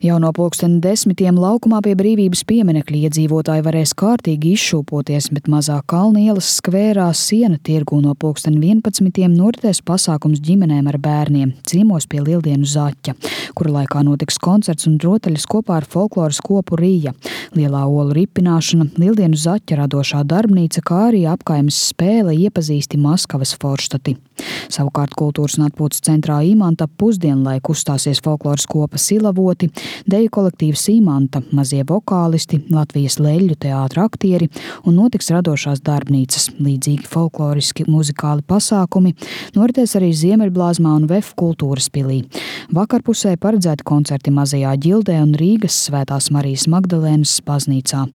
Jau no 10:00 laukumā pie Brīvības pieminekļa iedzīvotāji varēs kārtīgi izšūpoties, bet mazā Kalna ielas skvērā Siena tirgū no 11:00 noritēs pasākums ģimenēm ar bērniem ciemos pie Lieldienu zaķa, kura laikā notiks koncerts un rotaļas kopā ar folkloras kopu Rija, lielā olu ripināšana, Lieldienu zaķa radošā darbnīca, kā arī apkaimes spēle Iepazīsti Maskavas forštati. Savukārt kultūras un atpūtas centrā Imanta pusdienlaiku uzstāsies folkloras kopa Silavoti, deju kolektīvs Imanta, mazie vokālisti, Latvijas leļļu teātra aktieri un notiks radošās darbnīcas, līdzīgi folkloriski muzikāli pasākumi, noritēs arī Ziemeļblāzmā un VEF kultūras pilī. Vakarpusē paredzēti koncerti Mazajā Ģildē un Rīgas Svētās Marijas Magdalēnas baznīcā.